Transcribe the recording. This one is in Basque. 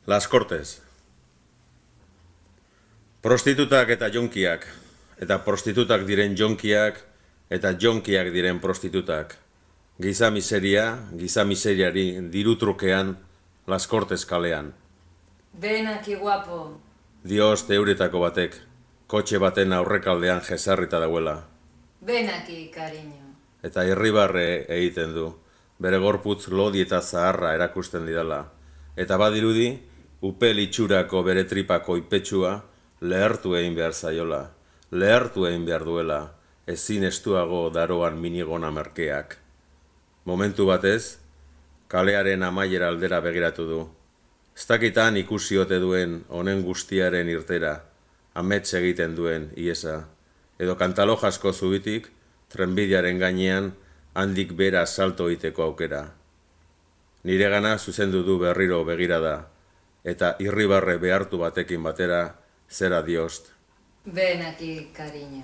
Las Cortes. Prostitutak eta jonkiak, eta prostitutak diren jonkiak, eta jonkiak diren prostitutak. Giza miseriari dirutrukean, Las Cortes kalean. Ven aquí, guapo. Dios teuretako batek, kotxe baten aurrekaldean jesarrita dauela. Ven aquí, cariño. Eta irribarre egiten du, bere gorputz lodi eta zaharra erakusten didala. Eta badirudi, upel itxurako bere tripako ipetsua lehertu egin behar zaiola, lehertu egin behar duela, ezin estuago daroan minigona merkeak. Momentu batez, kalearen amaiera aldera begiratu du. Ez dakitan ikusi ote duen honen guztiaren irtera, amets egiten duen iesa, edo kantalojasko zubitik, trenbidearen gainean handik bera salto egiteko aukera. Niregana zuzendu du berriro begirada, eta irribarre behartu batekin batera, zera diost. Ven aquí, cariño.